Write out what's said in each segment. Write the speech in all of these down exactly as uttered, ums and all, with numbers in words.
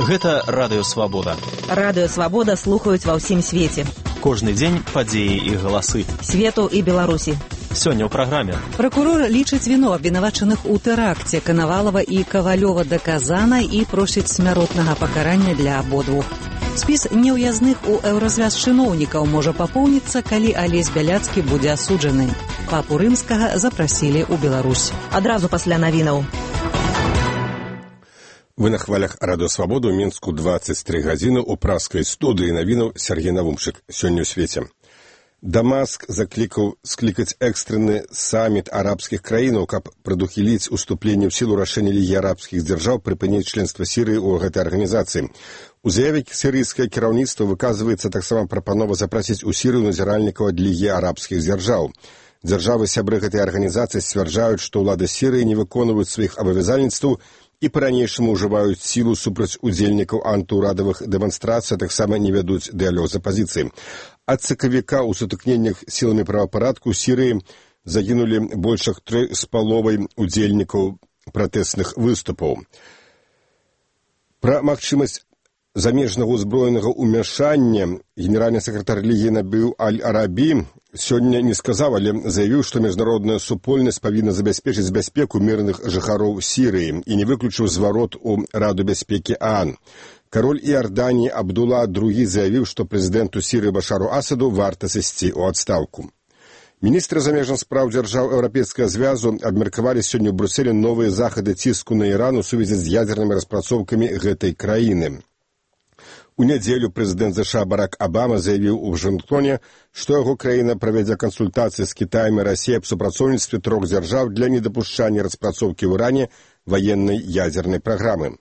Гэта Радыё Свабода. Радыё Свабода слухаюць ва ўсім свеце. Кожны дзень падзеі і галасы. Свету і Беларусі. Сёння ў праграме. Пракурор лічыць віну абвінавачаных у тэракце Канавалова і Кавалёва даказана і просіць смяротнага пакарання для абодвух. Спіс неўязных у еўразвяз чыноўнікаў можа папоўніцца, калі Алесь Бяляцкі будзе асуджаны. Папу Рымскага запрасілі ў Беларусь. Адразу пасля навінаў. Вы на хвалях Радыё Свабода ў Мінску дваццаць тры гадзіны ў праскай студыі навінаў Сергей Навумчык. Сёння ў свеце. Дамаск заклікаў склікаць экстраны саміт арабскіх краінаў, каб прадухіліць уступленне ў сілу рашэння Лігі арабскіх дзяржаў прыпыніць членства Сірыі ў гэтай арганізацыі. У заяве сірыйскае кіраўніцтва выказваецца таксама прапанова запрасіць у Сірыю назіральнікаў ад Лігі арабскіх дзяржаў. Дзяржавы-сябры гэтай арганізацыі сцвярджаюць, што ўлады Сірыі не выконваюць сваіх абавязальніцтваў і па-ранейшаму ўжываюць сілу супраць удзельнікаў антыўрадавых дэманстрацый, а таксама не вядуць дыялог з апазіцыяй. Ад сакавіка ў сутыкненнях сіламі правапарадку ў Сірыі загінулі больш як тры з паловай удзельнікаў пратэсных выступаў. Пра магчымасць замежнага ўзброенага ўмяшання генеральны сакратар Лігі Набіл Аль-Арабі сёння не сказаў, але заявіў, што міжнародная супольнасць павінна забяспечыць бяспеку мірных жыхароў Сірыі і не выключыў зварот у Раду бяспекі ААН. Кароль Іорданіі Абдула другі заявіў, што прэзідэнту Сірыі Башару Асаду варта сысці ў адстаўку. Міністры замежных спраў дзяржаў Еўрапейскага звязу абмеркавалі сёння ў Брюсселі новыя захады ціску на Іран у сувязі з ядзернымі распрацоўкамі гэтай краіны. У нядзелю прэзідэнт ЗША Барак Абама заявіў у Вашынгтоне, што яго краіна правядзе кансультацыі з Кітаем і Расіяй аб супрацоўніцтве трох дзяржаў для недапушчання распрацоўкі ў Іране ваеннай ядзернай праграмы.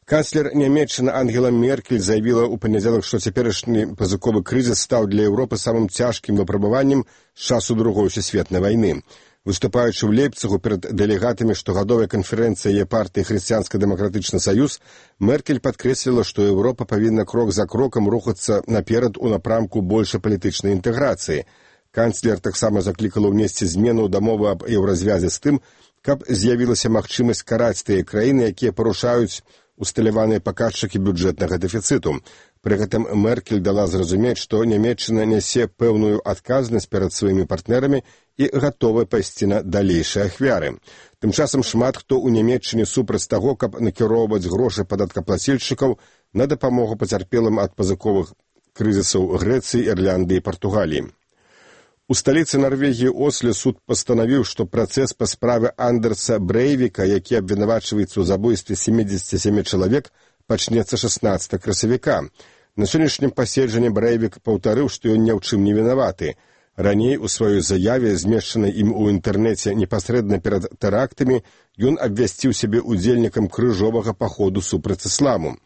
Канцлер Нямецчыны Ангела Меркель заявіла ў панядзелак, што цяперашні пазыковы крызіс стаў для Еўропы самым цяжкім выпрабаваннем з часу Другой сусветнай вайны. Выступаючы ў Лейпцыгу перад дэлегатамі штогадовай канферэнцыі яе партыі Хрысціянска-дэмакратычны саюз, Меркель падкрэсліла, што Еўропа павінна крок за крокам рухацца наперад у напрамку большай палітычнай інтэграцыі. Канцлер таксама заклікала ўнесці змену ў дамову аб еўразвязе з тым, каб з'явілася магчымасць караць тыя краіны, якія парушаюць усталяваныя паказчыкі бюджэтнага дэфіцыту. Пры гэтым Меркель дала зразумець, што Нямецчына нясе пэўную адказнасць перад сваімі партнерамі і гатовая пайсці на далейшыя ахвяры. Тым часам шмат хто ў Нямецчыне супраць таго, каб накіроўваць грошы падаткаплацільшчыкаў на дапамогу пацярпелым ад пазыковых крызісаў Грэцыі, Ірландыі і Партугаліі. У сталіцы Нарвегіі Осле суд пастанавіў, што працэс па справе Андерса Брэйвіка, які абвінавачваецца ў забойстве сямдзесят сем чалавек, пачнецца шаснаццатага красавіка. На сённяшнім паседжанні Брэйвік паўтарыў, што ён ні ў чым не вінаваты. Раней у сваёй заяве, змешчанай ім у інтэрнэце непасрэдна перад тэрактамі, ён абвясціў сябе удзельнікам крыжовага паходу супраць ісламу.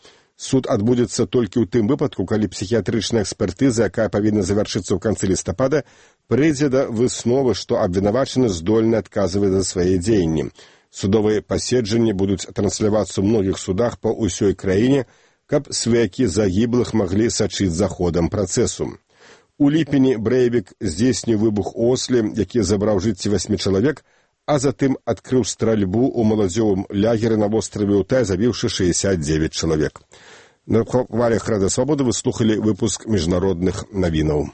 Суд адбудзецца толькі ў тым выпадку, калі псіхіятрычная экспертыза, якая павінна завяршыцца ў канцы лістапада, прыйдзе да высновы, што абвінавачаны здольны адказваць за свае дзеянні. Судовыя паседжанні будуць транслявацца ў многіх судах па ўсёй краіне, каб сваякі загіблых маглі сачыць за ходам працэсу. У ліпені Брэйвік здзейсніў выбух у Осле, які забраў жыцці васьмі чалавек, а затым адкрыў стральбу ў маладзёвым лягеры на востраве Утай, забіўшы шэсцьдзесят девять чалавек. На хвалях Радыё Свабода вы слухалі выпуск міжнародных навінаў.